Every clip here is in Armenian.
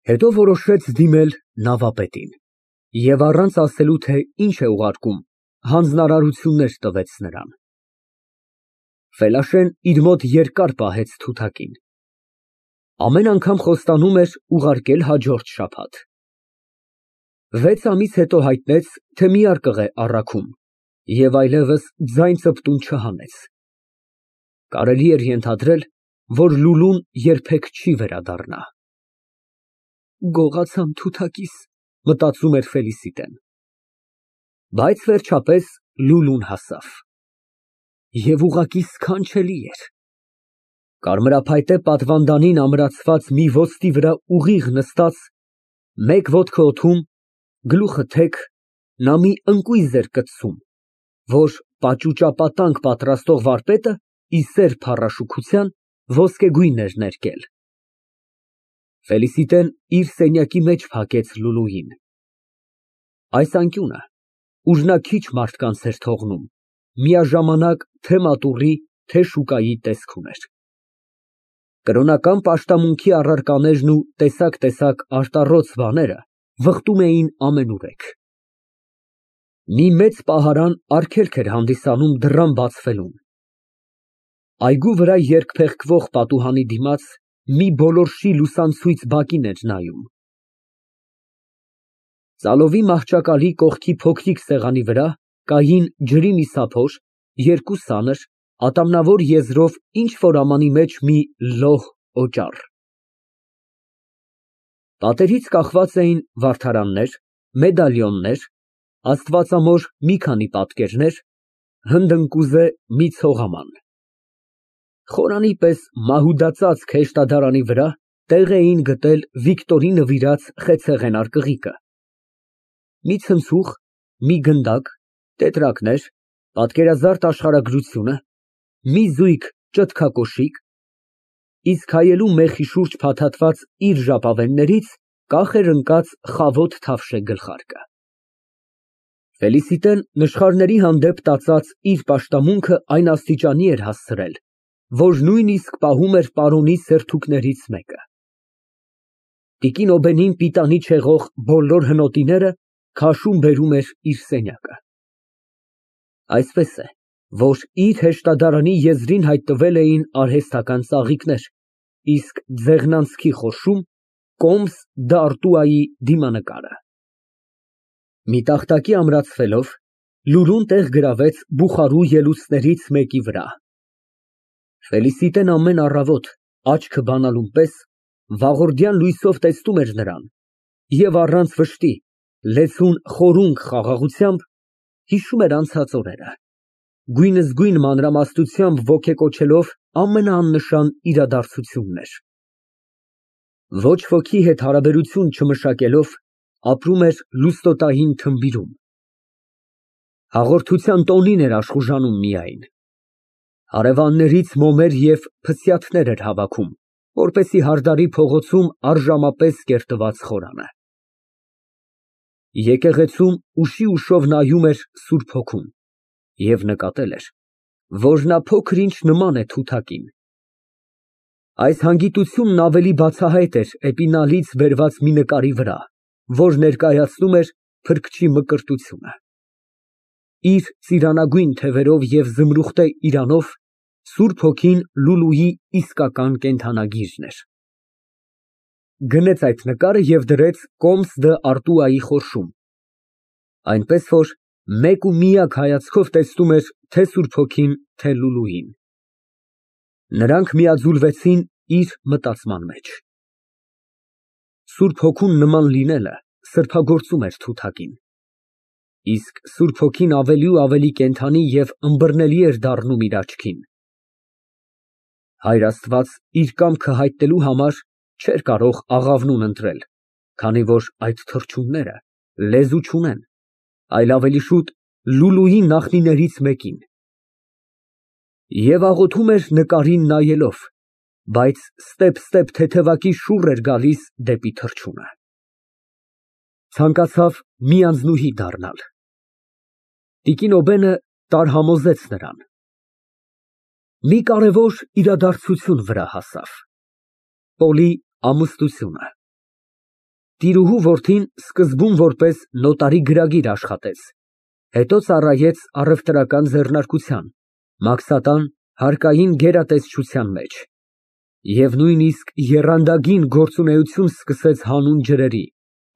Հետո որոշեց դիմել նավապետին և առանց ասելու, թե ինչ է ուղարկում, հանձնարարություններ տվեց նրան։ Ֆելաշեն իր մոտ երկար պահեց թութակին։ Ամեն անգամ խոստանում էր ուղարկել հաջորդ շաբաթ։ 6 ամիս հետո հայտնեց, թե միարկղ է առաքում և այլևս ձայն ծպտուն չհանեց։ Կարելի էր ենթադրել, որ Լուլուն երբեք չի վերադառնա։ Գողացամ թութակիս, մտածում էր Ֆելիսիտեն։ Բայց վերջապես Լուլուն հասավ։ Եվ ուղղակի սքանչելի էր։ Կարմրափայտե պատվանդանին ամրացված մի ոսկի վրա ուղիղ նստած, մեկ ոտքը օդում, գլուխը թեք, նա մի ընկույզ էր կծում, որ պաճուճապատանկ պատրաստող վարպետը ի սեր փառաշուքության ոսկեգույն էր ներկել։ Ֆելիսիտեն իր սենյակի մեջ փակեց Լուլուին։ Այս անկյունը, ուր նա քիչ մարդկանց էր թողնում, միաժամանակ թե մատուռի, թե շուկայի տեսք ուներ։ Կրոնական պաշտամունքի առարկաներն ու տեսակ արտառոց բաները վխտում էին ամենուրեք։ Մի մեծ պահարան արգելք էր հանդիսանում դռան բացվելուն։ Այգու վրա երկփեղկվող պատուհանի դիմաց մի բոլորշի լուսանցույց բակին էր նայում։ Ծալովի մահճակալի կողքի փոքրիկ սեղանի վրա կային ջրի մի սափոր, երկու սանր, ատամնավոր եզրով ինչ֊որ ամանի մեջ մի լոհ օճառ։ Պատերից կախված էին վարդարաններ, մեդալիոններ, աստվածամոր մի քանի պատկերներ, հնդընկուզե մի ցողաման։ Խորանի պես մահուդածածկ հեշտադարանի վրա տեղ էին գտել Վիկտորի նվիրած խեցեղեն արկղիկը, մի ցնցուղ, մի գնդակ, տետրակներ, պատկերազարդ աշխարհագրությունը, մի զույգ ճտկակոշիկ, իսկ հայելու մեխի շուրջ փաթաթված իր ժապավեններից կախ էր ընկած խավոտ թավշե գլխարկը։ Ֆելիսիտեն նշխարների հանդեպ տածած իր պաշտամունքը այն աստիճանի էր հասցրել, որ նույնիսկ պահում էր պարոնի սերթուկներից մեկը։ Տիկին Օբենին պիտանի չեղող բոլոր հնոտիները քաշում բերում էր իր սենյակը։ Այսպես է, որ իր հեշտադարանի եզրին հայտնվել էին արհեստական ծաղիկներ, իսկ ձեղնանցքի խորշում կոմս դ'Արտուայի դիմանկարը։ Մի տախտակի ամրացվելով, Լուլուն տեղ գրավեց բուխարու ելուստներից մեկի վրա։ Ֆելիսիտեն ամեն առավոտ, աչքը բանալուն պես, վաղորդյան լույսով տեսնում էր նրան և առանց վշտի, լեզուն խորունկ խաղաղությամբ հիշում էր անցած օրերը, գույնզգույն մանրամասնությամբ ոգեկոչելով ամենաաննշան իրադարձություններ։ Ոչ ոքի հետ հարաբերություն չմշակելով, ապրում էր լուստոտային թմբիրում։ Հաղորդության տոնին էր աշխուժանում միայն։ Հարևաններից մոմեր և փսյաթներ էր հավաքում, որպեսզի հարդարի փողոցում առժամապես կերտված խորանը։ Եկեղեցում ուշի֊ուշով նայում էր Սուրբ Հոգուն և նկատել էր, որ նա փոքր֊ինչ նման է թութակին։ Այս հանգիտությունն ավելի բացահայտ էր էպինալից բերված մի նկարի վրա, որ ներկայացնում էր փրկչի մկրտությունը։ Իր ծիրանագույն թևերով և զմրուխտե իրանով Սուրբ Հոգին Լուլուի իսկական կենդանագիրն էր։ Գնեց այդ նկարը և դրեց կոմս դ'Արտուայի խորշում, այնպես որ մեկ ու միակ հայացքով տեսնում էր թե Սուրբ Հոգին, թե Լուլուին։ Նրանք միաձուլվեցին իր մտածման մեջ։ Սուրբ Հոգուն նման լինելը սրբագործում էր թութակին, իսկ Սուրբ Հոգին ավելի ու ավելի կենդանի և ըմբռնելի էր դառնում իր աչքին։ Հայր Աստված իր կամքը հայտնելու համար չէր կարող աղավնուն ընտրել, քանի որ այդ թռչունները լեզու չունեն, այլ ավելի շուտ Լուլուի նախնիներից մեկին։ Եվ աղոթում էր նկարին նայելով, բայց ստեպ թեթևակի շուռ էր գալիս դեպի թռչունը։ Ցանկացավ մի անձնուհի դառնալ։ Տիկին Օբենը տարհամոզեց նրան։ Մի կարևոր իրադարձություն վրա հասավ։ Պոլի ամուսնությունը։ Տիրուհու որդին սկզբում որպես նոտարի գրագիր աշխատեց, հետո ծառայեց առևտրական ձեռնարկության, մաքսատան, հարկային գերատեսչության մեջ և նույնիսկ եռանդագին գործունեություն սկսեց հանուն ջրերի,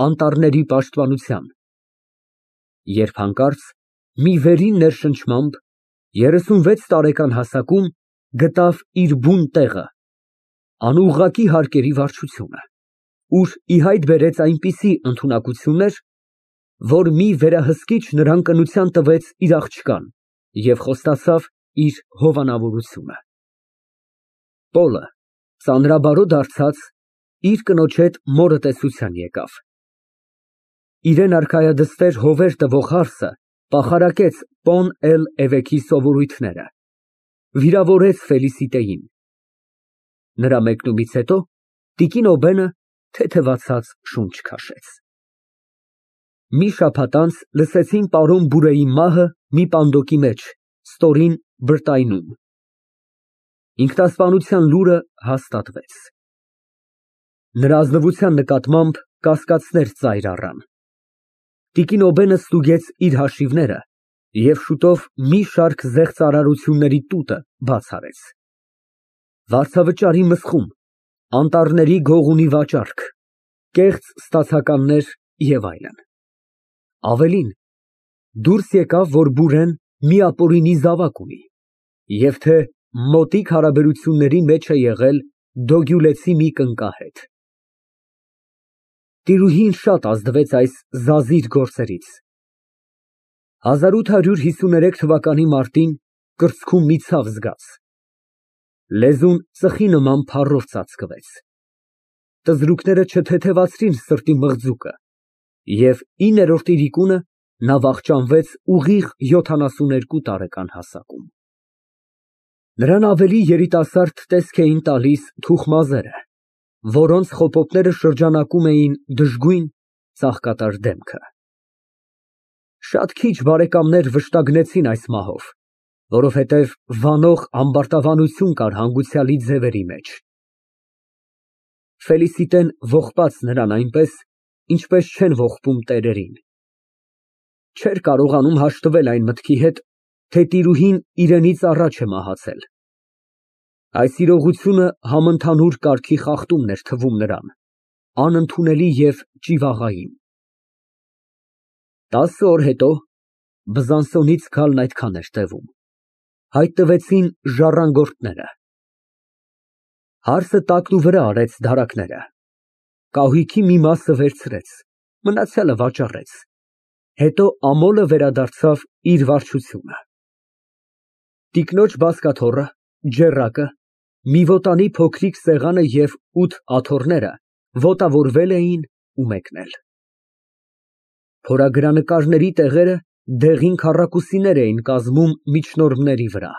անտառների պաշտպանության, երբ հանկարծ մի վերին ներշնչմամբ 36 տարեկան հասակում գտավ իր բուն տեղը, անուղղակի հարկերի վարչությունը, ուր ի հայտ բերեց այնպիսի ընդունակություններ, որ մի վերահսկիչ նրան կնության տվեց իր աղջկան և խոստացավ իր հովանավորությունը։ Պոլը, ծանրաբարո դարձած, իր կնոջ հետ մորը տեսության եկավ։ Իրան արքայադստեր հովեր տվող հարսը պախարակեց Պոն էվեքի սովորույթները, վիրավորեց Ֆելիսիտեին։ Նրա մեկնումից հետո տիկին Օբենը թեթևացած շունչ քաշեց։ Մի շաբաթ անց լսեցին պարոն Բուրեի մահը մի պանդոկի մեջ, ստորին Բրտայնում։ Ինքնասպանության լուրը հաստատվեց։ Նրա ազնվության նկատմամբ կասկածներ ծայր առան։ Տիկին Օբենը ստուգեց իր հաշիվները և շուտով մի շարք զեղծարարությունների տուտը բաց արեց։ Վարձավճարի մսխում, անտառների գողունի վաճառք, կեղծ ստացականներ և այլն։ Ավելին, դուրս եկավ, որ Բուրեն մի ապօրինի զավակ ունի և թե մոտիկ հարաբերությունների մեջ է եղել դոգյուլեցի մի կնկա հետ։ Տիրուհին շատ ազդվեց այս զազիր գործերից։ 1853 թվականի մարտին կրծքում մի ցավ զգաց։ Լեզուն ծխի նման փառով ծածկվեց։ Տզրուկները չթեթևացրին սրտի մղձուկը, և 9-րդ իրիկունը նա վախճանվեց ուղիղ 72 տարեկան հասակում։ Նրան ավելի երիտասարդ տեսք էին տալիս թուխ մազերը, որոնց խոպոպները շրջանակում էին դժգույն, ծաղկատար դեմքը։ Շատ քիչ բարեկամներ վշտագնեցին այս մահով, որովհետև վանող ամբարտավանություն կար հանգուցյալի ձևերի մեջ։ Ֆելիսիտեն ողբաց նրան այնպես, ինչպես չեն ողբում տերերին։ Չէր կարողանում հաշտվել այն մտքի հետ, թե տիրուհին իրենից առաջ է մահացել։ Այս իրողությունը համընդհանուր կարգի խախտումն էր թվում նրան, անընդունելի և ճիվաղային։ 10 օր հետո (Բզանսոնից գալն այդքան էր տևում) հայտնվեցին ժառանգորդները։ Հարսը տակնուվրա արեց դարակները, կահույքի մի մասը վերցրեց, մնացյալը վաճառեց, հետո ամոլը վերադարձավ իր վարչությունը։ Տիկնոջ բազկաթոռը, ջեռակը, մի ոտանի փոքրիկ սեղանը և 8 աթոռները ոտավորվել էին ու մեկնել։ Փորագրանկարների տեղերը դեղին քառակուսիներ էին կազմում միջնորմների վրա։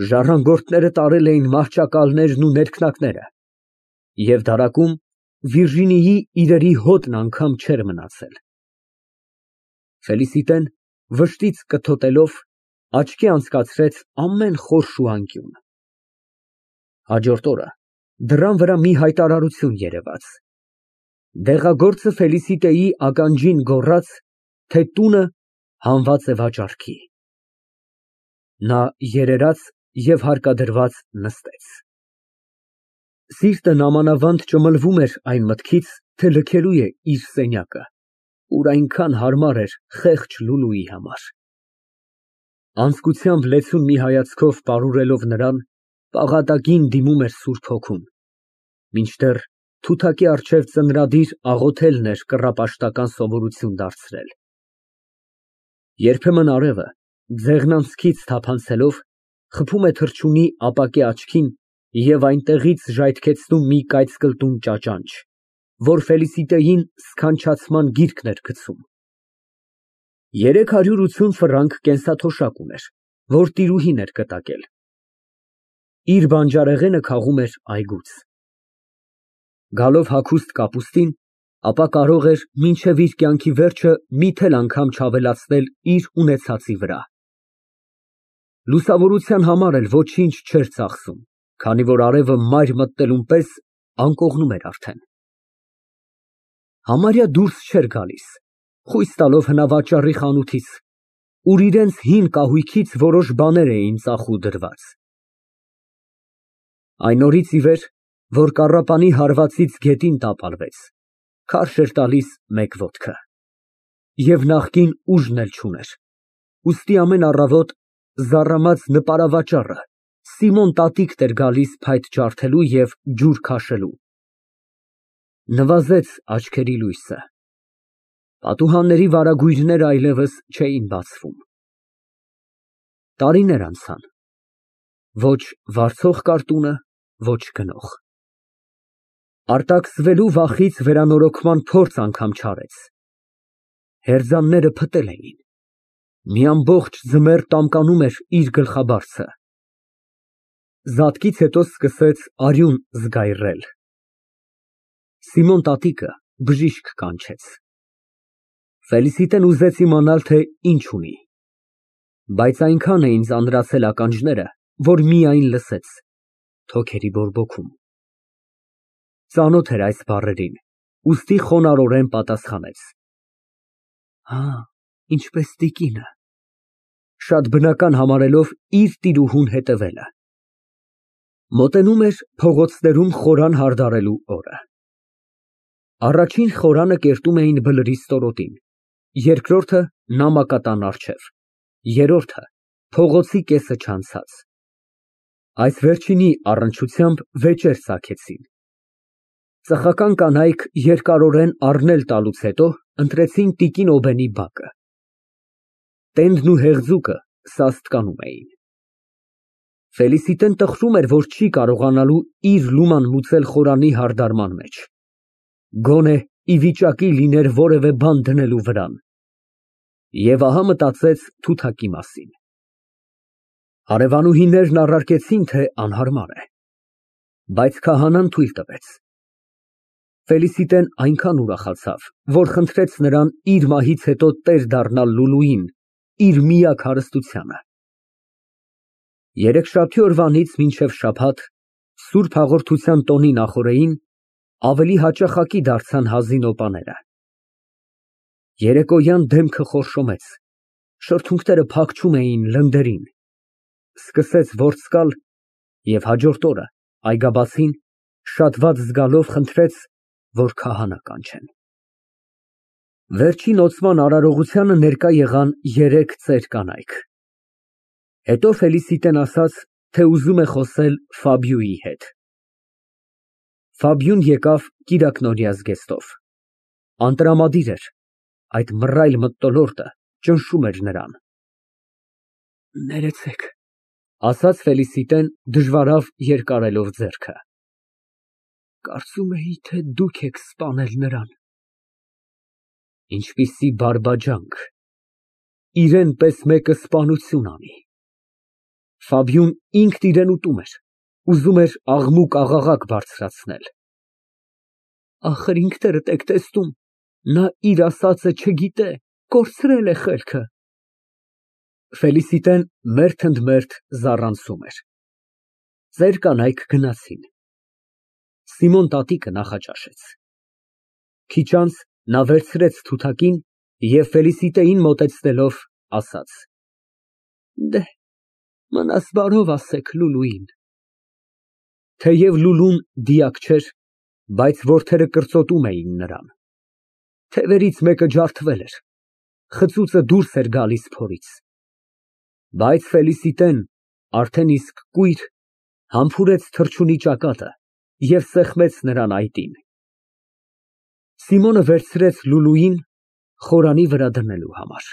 Ժառանգորդները տարել էին մահճակալներն ու ներքնակները, և դարակում Վիրջինիայի իրերի հոտն անգամ չէր մնացել։ Ֆելիսիտեն վշտից կթոտելով աչքի անցկացրեց ամեն խորշ ու անկյուն։ Հաջորդ օրը դռան վրա մի հայտարարություն երևաց։ Դեղագործը Ֆելիսիտեի ականջին գոռաց, թե տունը հանված է վաճառքի։ Նա երերաց և հարկադրված նստեց։ Սիրտն ամանավանդ ճմլվում էր այն մտքից, թե լքելու է իր սենյակը, ուր այնքան հարմար էր խեղճ Լուլուի համար։ Անձկությամբ լեցուն մի հայացքով պարուրելով նրան, պաղատակին դիմում էր Սուրբ Հոգուն, մինչդեռ թութակի առջև ծնրադիր աղոթելն էր կռապաշտական սովորություն դարձրել։ Երբեմն արևը, ձեղնանցքից թափանցելով, խփում է թռչունի ապակե աչքին և այնտեղից ժայթքեցնում մի կայծկլտուն ճաճանճ, որ Ֆելիսիտեին սքանչացման գիրկն էր գցում։ 380 ֆրանկ կենսաթոշակ ուներ, որ տիրուհին էր կտակել։ Իր բանջարեղենը քաղում էր այգուց։ Գալով հագուստ կապուստին, ապա կարող էր մինչև իր կյանքի վերջը մի թել անգամ չավելացնել իր ունեցածի վրա։ Լուսավորության համար էլ ոչինչ չէր ծախսում, քանի որ արևը մայր մտնելուն պես անկողնում էր արդեն։ Համարյա դուրս չէր գալիս, խույս տալով հնավաճառի խանութից, ուր իրենց հին կահույքից որոշ բաներ էին ծախու դրված։ Այն օրից ի վեր, որ կառապանի հարվածից գետին տապալվեց, քարշ էր տալիս մեկ ոտքը, և նախկին ուժն էլ չուներ, ուստի ամեն առավոտ զառամած նպարավաճառը Սիմոն տատիկն էր գալիս փայտ ջարդելու և ջուր քաշելու։ Նվազեց աչքերի լույսը, պատուհանների վարագույրները այլևս չէին բացվում։ Տարիներ անցան, ոչ վարձող կար տունը, ոչ գնող։ Արտաքսվելու վախից վերանորոգման փորձ անգամ չարեց։ Հերձանները փտել էին, մի ամբողջ ձմեռ տամկանում էր իր գլխաբարձը։ Զատկից հետո սկսեց արյուն զգայռել։ Սիմոն տատիկը բժիշկ կանչեց։ Ֆելիսիտեն ուզեց իմանալ, թե ինչ ունի, բայց այնքան էին ծանրացել ականջները, որ միայն լսեց թոքերի բորբոքում։ Ծանոթ էր այս բառերին, ուստի խոնարհորեն պատասխանեց. Հա, ինչպես տիկինը, շատ բնական համարելով իր տիրուհուն հետևելը։ Մոտենում էր փողոցներում խորան հարդարելու օրը։ Առաջին խորանը կերտում էին Բլրի ստորոտին, երկրորդը նամակատան առջև, երրորդը փողոցի կեսը չանցած։ Այս վերջինի առնչությամբ վեճեր ծագեցին։ Ծխական կանայք երկարորեն առնել տալուց հետո ընտրեցին տիկին Օբենի բակը։ Տենդն ու հեղձուկը սաստկանում էին։ Ֆելիսիտեն տխրում էր, որ չի կարողանալու իր լուման մուծել խորանի հարդարման մեջ, գոնե ի վիճակի լիներ որևէ բան դնելու վրան, և ահա մտածեց թութակի մասին։ Հարևանուհիներն առարկեցին, թե անհարմար է, բայց քահանան թույլ տվեց։ Ֆելիսիտեն այնքան ուրախացավ, որ խնդրեց նրան իր մահից հետո տեր դառնալ Լուլուին, իր միակ հարստությանը։ Երեքշաբթի օրվանից մինչև շաբաթ, Սուրբ Հաղորդության տոնի նախօրեին, ավելի հաճախակի դարձան Հազինոպաները։ Երեկոյան դեմքը խորշոմեց, շրթունքները փակչում էին լնդերին, սկսեց որս գալ և հաջորդ օրը այգաբացին շատ վատ զգալով խնդրեց, որ քահանա կանչեն։ Վերջին օծման արարողությանը ներկա եղան 3 ծեր կանայք։ Հետո Ֆելիսիտեն ասաց, թե ուզում է խոսել Ֆաբիուի հետ։ Ֆաբիուն եկավ կիրակնօրյա զգեստով։ Անտրամադիր էր, այդ մռայլ մթնոլորտը ճնշում էր նրան։ Ներեցեք, ասաց Ֆելիսիտեն դժվարավ երկարելով ձեռքը։ Կարծում էի, թե դուք եք սպանել նրան։ Ինչպիսի բարբաջանք, իրեն պես մեկը սպանություն անի։ Ֆաբիուն ինքն իրեն ուտում էր, ուզում էր աղմուկ-աղաղակ բարձրացնել։ Ախր ինքներդ եք տեսնում, նա իր ասածը չգիտե, կորցրել է խելքը։ Ֆելիսիտեն մերթ ընդ մերթ զառանցում էր։ Ծեր կանայք գնացին։ Սիմոն տատիկը նախաճաշեց։ Քիչ անց նա վերցրեց թութակին և Ֆելիսիտեին մոտեցնելով ասաց. Դեհ, մնաս բարով ասեք Լուլուին։ Թեև Լուլուն դիակ չէր, բայց որդերը կրծոտում էին նրան։ Թևերից մեկը ջարդվել էր, խծուծը դուրս էր գալիս փորից։ Բայց Ֆելիսիտեն, արդեն իսկ կույր, համբուրեց թռչունի ճակատը և սեղմեց նրան այտին։ Սիմոնը վերցրեց Լուլուին խորանի վրա դնելու համար։